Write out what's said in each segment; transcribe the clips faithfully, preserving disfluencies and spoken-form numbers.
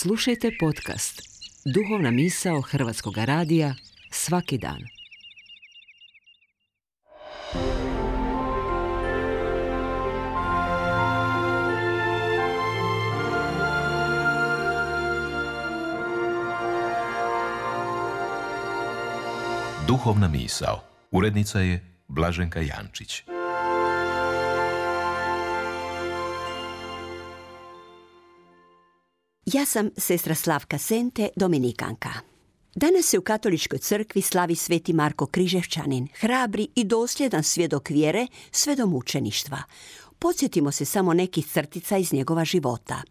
Slušajte podcast Duhovna misao Hrvatskog radija svaki dan. Duhovna misao. Urednica je Blaženka Jančić. Ja sam sestra Slavka Sente, dominikanka. Danas se u katoličkoj crkvi slavi sveti Marko Križevčanin, hrabri i dosljedan svjedok vjere sve do mučeništva. Podsjetimo se samo nekih crtica iz njegova života.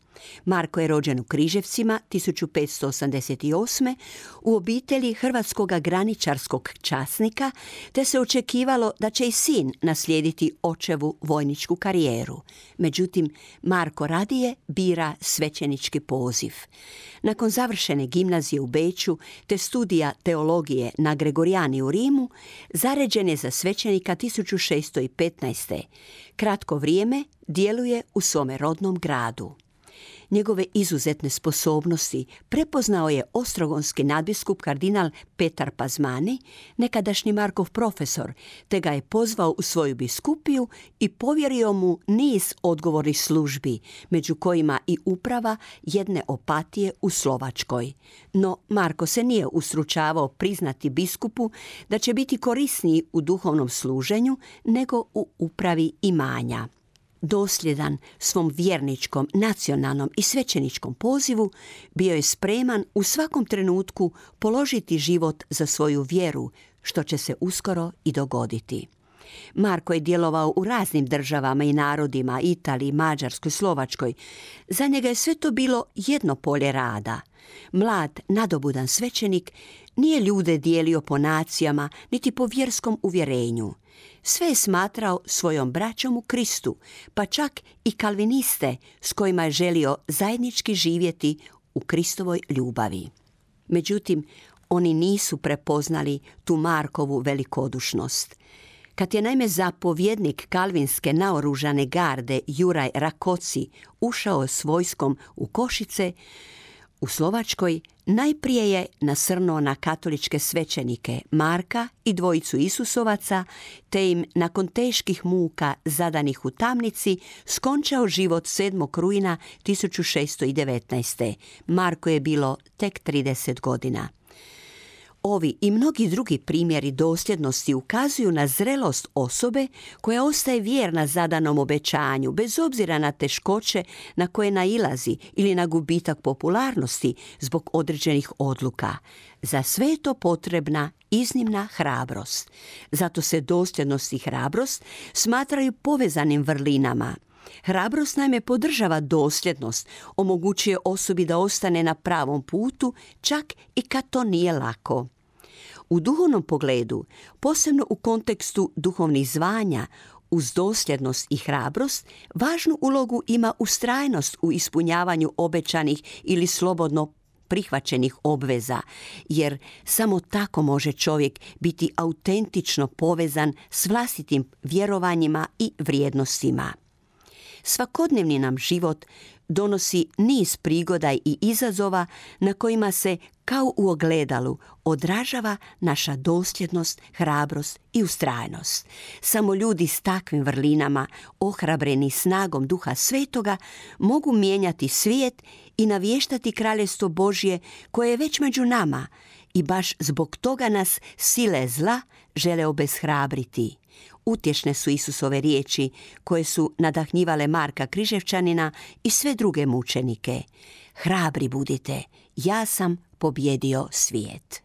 Marko je rođen u Križevcima tisuću petsto osamdeset osme u obitelji hrvatskog graničarskog časnika, te se očekivalo da će i sin naslijediti očevu vojničku karijeru. Međutim, Marko radije bira svećenički poziv. Nakon završene gimnazije u Beču te studija teologije na Gregorijani u Rimu, zaređen je za svećenika tisuću šesto petnaeste. Kratko vrijeme djeluje u svome rodnom gradu. Njegove izuzetne sposobnosti prepoznao je ostrogonski nadbiskup kardinal Petar Pazmani, nekadašnji Markov profesor, te ga je pozvao u svoju biskupiju i povjerio mu niz odgovornih službi, među kojima i uprava jedne opatije u Slovačkoj. No Marko se nije ustručavao priznati biskupu da će biti korisniji u duhovnom služenju nego u upravi imanja. Dosljedan svom vjerničkom, nacionalnom i svećeničkom pozivu, bio je spreman u svakom trenutku položiti život za svoju vjeru, što će se uskoro i dogoditi. Marko je djelovao u raznim državama i narodima, Italiji, Mađarskoj, Slovačkoj. Za njega je sve to bilo jedno polje rada. Mlad, nadobudan svećenik nije ljude dijelio po nacijama niti po vjerskom uvjerenju. Sve je smatrao svojom braćom u Kristu, pa čak i kalviniste s kojima je želio zajednički živjeti u Kristovoj ljubavi. Međutim, oni nisu prepoznali tu Markovu velikodušnost. Kad je naime zapovjednik kalvinske naoružane garde Juraj Rakoci ušao s vojskom u Košice, u Slovačkoj najprije je nasrnuo na katoličke svećenike Marka i dvojicu Isusovaca, te im nakon teških muka zadanih u tamnici skončao život sedmog rujna tisuću šesto devetnaeste. Marko je bilo tek trideset godina. Ovi i mnogi drugi primjeri dosljednosti ukazuju na zrelost osobe koja ostaje vjerna zadanom obećanju, bez obzira na teškoće na koje nailazi ili na gubitak popularnosti zbog određenih odluka. Za sve je to potrebna iznimna hrabrost. Zato se dosljednost i hrabrost smatraju povezanim vrlinama. Hrabrost naime podržava dosljednost, omogućuje osobi da ostane na pravom putu, čak i kad to nije lako. U duhovnom pogledu, posebno u kontekstu duhovnih zvanja, uz dosljednost i hrabrost, važnu ulogu ima ustrajnost u ispunjavanju obećanih ili slobodno prihvaćenih obveza, jer samo tako može čovjek biti autentično povezan s vlastitim vjerovanjima i vrijednostima. Svakodnevni nam život donosi niz prigoda i izazova na kojima se, kao u ogledalu, odražava naša dosljednost, hrabrost i ustrajnost. Samo ljudi s takvim vrlinama, ohrabreni snagom Duha Svetoga, mogu mijenjati svijet i navještati kraljestvo Božje koje je već među nama i baš zbog toga nas sile zla žele obeshrabriti. Utješne su Isusove riječi koje su nadahnjivale Marka Križevčanina i sve druge mučenike. Hrabri budite, ja sam pobjedio svijet.